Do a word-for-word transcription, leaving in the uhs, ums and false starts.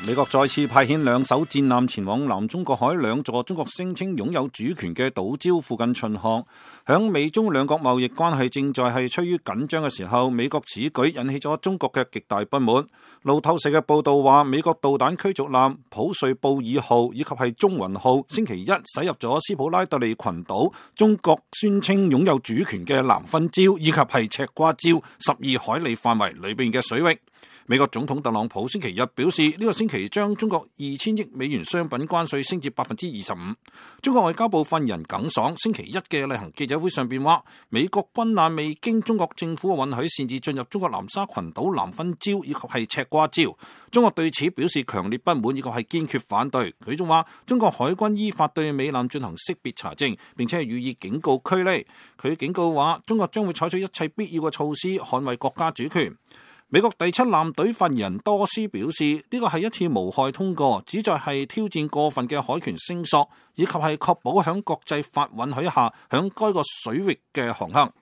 美國再次派遣兩艘戰艦前往南中國海兩座中國聲稱擁有主權嘅島礁附近巡航。響美中兩國貿易關係正在係趨於緊張嘅時候，美國此舉引起咗中國嘅極大不滿。路透社嘅報道話，美國導彈驅逐艦普瑞布爾號以及係中雲號星期一駛入咗斯普拉特利群島，中國宣稱擁有主權嘅南分礁以及係赤瓜礁十二海里範圍裏邊嘅水域。美國總統特朗普星期日表示，呢個星期將中國二千億美元商品關稅升至百分之二十五。中國外交部發言人耿爽星期一嘅例行記者會上邊話，美國軍艦未經中國政府允許擅自進入中國南沙群島南分礁以及係赤瓜礁，中國對此表示強烈不滿以及係堅決反對。佢仲話，中國海軍依法對美艦進行識別查證，並且係予以警告驅離。佢警告話，中國將會採取一切必要嘅措施捍衛國家主權。美國第七艦隊發言人多斯表示，呢個係一次無害通過，旨在係挑戰過分嘅海權聲索，以及係確保響國際法允許下響該個水域嘅航行。